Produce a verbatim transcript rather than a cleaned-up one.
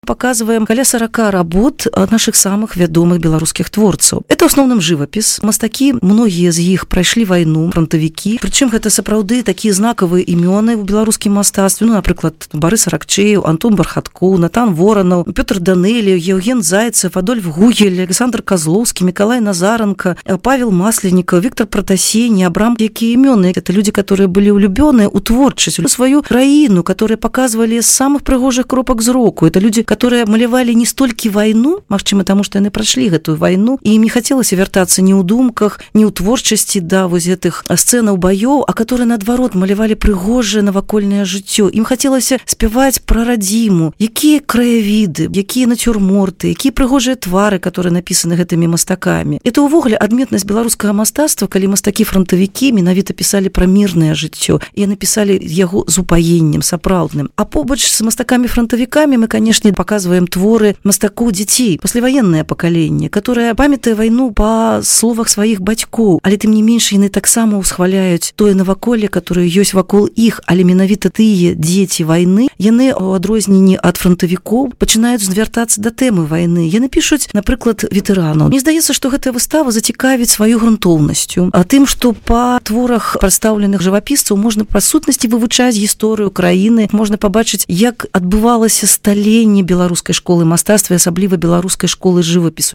показываем каля сорока работ наших самых вядомых беларускіх творцаў. Это ў асноўным жывапіс. Мастакі, многія з іх прайшлі вайну, фронтавікі. Прычым гэта сапраўды такія знакавыя імёны ў беларускім мастацтве. Ну, напрыклад, Барыс Аракчеев, Антон Бархаткоў, Натан Воранаў, Пётр Данелі, Евген Зайцев, Адольф Гугель, Александр Козловский, Миколай Назаренко, Павел Масленников, Виктор Протасений, Абрам. Якія імёны? Это люди, которые были влюблены у творчасць, у свою краіну, которые показывали з самых прыгожых кропак зроку. Это люди, которые малявалі не столькі вайну, магчыма, таму што яны прайшлі гэтую вайну, і ім не хацелася вяртацца ні ў думках, ні ў творчасці да вось гэтых сцэнаў баёў, а которые наадварот малявалі прыгожае навакольнае жыццё. Ім хацелася спяваць пра радзіму, якія краявіды, якія нацюрморты, якія прыгожыя твары, которые напісаны гэтымі мастакамі. Это ўвогуле адметнасць беларускага мастацтва, калі мастакі-фронтавікі менавіта пісалі пра мірнае жыццё, і напісалі яго з упаеннем сапраўдным. А побач з мастакамі-фронтавікамі мы, конечно, показываем творы мастакоў дзяцей, пасляваеннае пакаленне, которое памятае вайну па словах сваіх бацькоў, але тым не менш яны таксама ўсхваляюць тое наваколле, которое ёсць вакол іх, але менавіта тыя дзеці вайны, яны у адрозненні ад фронтавікоў пачынаюць звяртацца да тэмы вайны. Яны пішуць, напрыклад, ветэранаў. Мне здаецца, што гэтая выстава зацікавіць сваёй грунтоўнасцю, а тым, што па творах прадстаўленых жывапісцаў можна па сутнасці вывучаць гісторыю краіны, можна пабачыць, як адбывалася сталенне беларускай школы мастацтва, асабліва беларускай школы жывапісу.